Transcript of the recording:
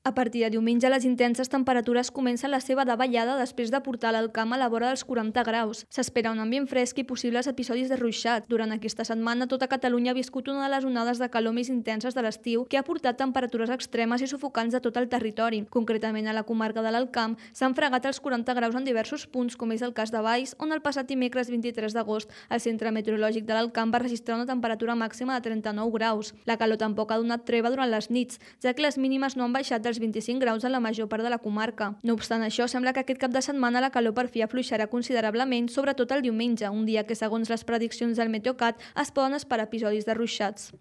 A partir de diumenge, les intenses temperatures comencen la seva davallada després de portar l'Alcamp a la vora dels 40 graus. S'espera un ambient fresc i possibles episodis de ruixat. Durant aquesta setmana, tota Catalunya ha viscut una de les onades de calor més intenses de l'estiu que ha portat temperatures extremes i sufocants de tot el territori. Concretament, a la comarca de l'Alcamp s'han fregat els 40 graus en diversos punts, com és el cas de Valls, on el passat dimecres 23 d'agost el Centre Meteorològic de l'Alcamp va registrar una temperatura màxima de 39 graus. La calor tampoc ha donat treva durant les nits, ja que les mínimes no han baixat dels 25 graus en la major part de la comarca. No obstant això, sembla que aquest cap de setmana la calor per fi afluixarà considerablement, sobretot el diumenge, un dia que, segons les prediccions del Meteocat, es poden esperar episodis de ruixats.